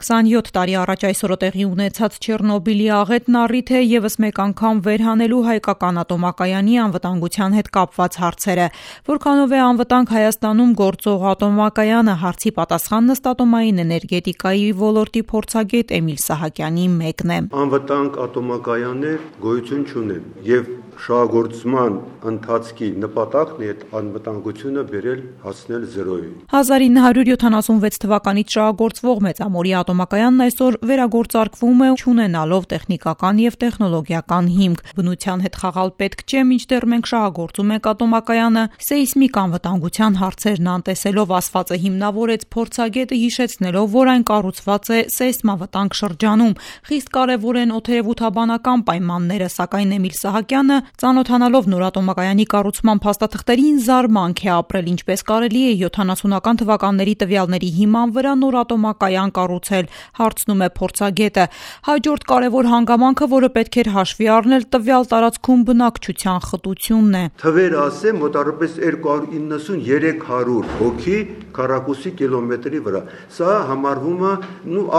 27 տարի առաջ այսօրը տեղի ունեցած Չեռնոբիլի աղետն առիթ է ևս մեկ անգամ վերհանելու հայկական ատոմակայանի անվտանգության հետ կապված հարցերը։ Որքանով է անվտանգ Հայաստանում գործող ատոմակայանը, հարցի պատասխանն ըստ ատոմային էներգետիկայի ոլորտի փորձագետ Էմիլ Սահակյանի մեկն է։ Անվտանգ ատոմակայաններ գոյություն չունեն եւ շահագործման ընթացքի նպատակն է այդ անվտանգությունը բերել հասնել 0-ի։ 1976 թվականից շահագործվող Մեծամորի ատոմակայանն այսօր վերագործարկվում է չունենալով տեխնիկական եւ տեխնոլոգիական հիմք։ Բնության հետ խաղալ պետք չէ, մինչդեռ մենք շահագործում ենք ատոմակայանը սեյսմիկ անվտանգության հարցերն անտեսելով, ասվածը հիմնավորեց փորձագետը, հիշեցնելով, որ այն կառուցված է սեյսմավտանգ շրջանում։ Խիստ կարևոր են օդերևութաբանական պայմանները, սակայն Էմիլ Սահակյանը ծանոթանալով նոր ատոմակայանի կառուցման փաստաթղթերին զարմանք է ապրել, ինչպես կարելի է 70-ական թվականների տվյալների հիման վրա նոր ատոմակայան կառուցել, հարցնում է փորձագետը։ Հաջորդ կարևոր հանգամանքը, որը պետք էր հաշվի առնել, տվյալ տարածքում բնակչության խտությունն է։ Թվեր ասեմ, մոտավորապես 290-300 հոգի քառակուսի կիլոմետրի վրա։ Սա համարվում է,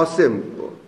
ասեմ,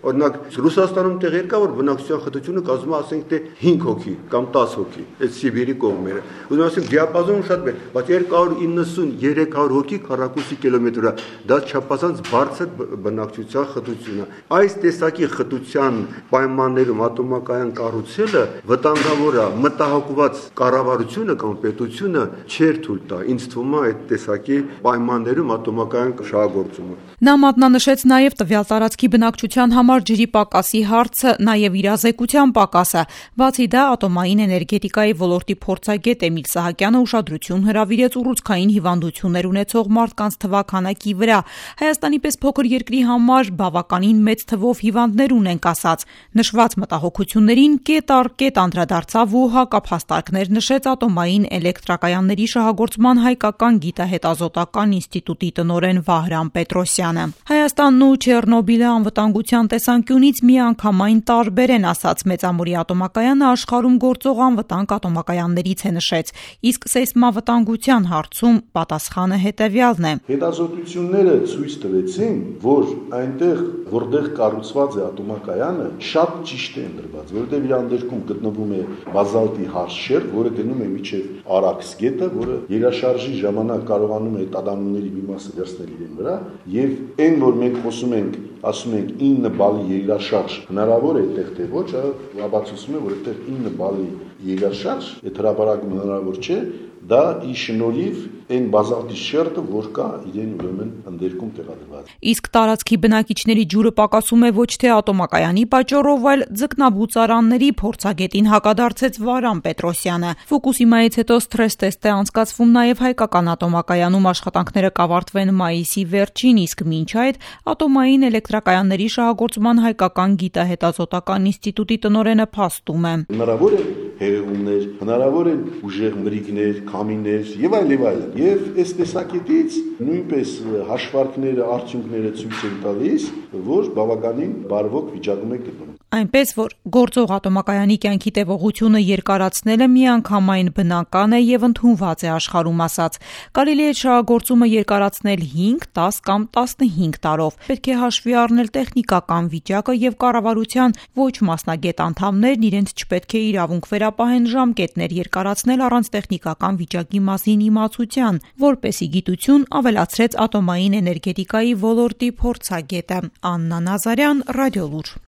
օրինակ Ռուսաստանում տեղեր կա, որ բնակչության խտությունը կազմում է, ասենք, թե 5 հոգի կամ 10 հոգի, այդ Սիբիրի կողմերը։ Ուզում ասեմ, դիապազոնը շատ մեծ, բայց 290-300 հոգի քառակուսի կիլոմետր վրա, դա չափազանց բարձր բնակչության խտություն է։ Այս տեսակի խտության պայմաններում ատոմակայան կառուցելը վտանգավոր է, մտահոգված կառավարությունը կամ պետությունը չէր թույլ տա։ Ինձ թվում է այդ տեսակի պայմաններում ատոմակայան շահագործումը։ Նա մատնանշեց նաև տվյալ տարածքի բնակչության համար ջրի պակասի հարցը, նաև իրազեկության պակասը։ Բացի դա, ատոմային էներգետիկայի ոլորտի փորձագետ Էմիլ Սահակյանը ուշադրություն հրավիրեց ուռուցքային հիվանդություններ ունեցող մարդկանց թվաքանակի վրա։ Հայաստանի պես փոքր երկրի համար բավականին մեծ թվով հիվանդներ ունենք, ասաց։ Նշված մտահոգություններին կետ առ կետ անդրադարձավ ու հակափաստարկներ նշեց ատոմային էլեկտրակայանների շահագործման հայկական գիտահետազոտական ինստիտուտի տնօրեն Վահրամ Պետրոսյանը։ Հայաստանն ու Չեռնոբիլը անվտանգության տեսանկյունից միանգամայն տարբեր են, ասաց Մեծամորի ատոմակայանը աշխարհում գործող անվտանգ ատոմակայաններից է նշեց, իսկ սեյսմավտանգության հարցում պատասխանը հետևյալն է։ Հետազոտությունները ցույց տվեցին, որ այնտեղ, որտեղ կառուցված է ատոմակայանը, շատ ճիշտ է ընդրված, որովհետև իր անդերքում գտնվում է բազալտի հարշեր, որը գնում է միջև Արաքս գետը, որը երաշարժի ժամանակ կարողանում է տադանումների մի մասը վերցնել իրեն վրա, եւ այն, որ մենք խոսում ենք, ասում ենք 9 բալի երաշարժ հնարավոր է այդտեղ թե ոչ, ապացուցում է, որ այդտեղ 9 բալի երաշարժ այդ հրապարակում հնարավոր չէ, դա ի շնորհիվ այն բազալտի շերտը, որ կա իրեն ուրեմն ընդերքում տեղադրված։ Իսկ տարածքի բնակիչների ջուրը պակասում է ոչ թե ատոմակայանի պատճառով, այլ ձկնաբուծարանների, փորձագետին հակադարձեց Վահրամ Պետրոսյանը։ Ֆուկուսիմայից հետո սթրես տեստ է անցկացվում նաև հայկական ատոմակայանում, աշխատանքները կավարտվեն մայիսի վերջին, իսկ մինչ այդ ատոմային էլեկտրակայանների շահագործման հայկական գիտահետազոտական ինստիտուտի տնօրենը փաստում է։ Հնարավոր է հեղեղումներ, հնարավոր են ուժեղ մրրիկներ, քամիներ եւ այլ եւ այլն։ Եվ այս տեսակետից նույնպես հաշվարկները, արդյունքները ցույց են տալիս, որ բավականին բարվոք վիճակում է գտնվում։ Այնպես, որ գործող ատոմակայանի կյանքի տևողությունը երկարացնելը միանգամայն բնական է եւ ընդունված է աշխարհում, ասաց։ Կարելի է շահագործումը երկարացնել 5, 10 կամ 15 տարով։ Պետք է հաշվի առնել տեխնիկական վիճակը եւ կառավարության ոչ մասնագետ անդամներն իրենց չպետք է իրավունք վերապահեն ժամկետներ երկարացնել առանց տեխնիկական վիճակի մասին իմացության, որպեսզի գիտություն ավելացրեց ատոմային էներգետիկայի ոլորտի փորձագետը։ Աննա Նազարյան, Ռադիոլուր։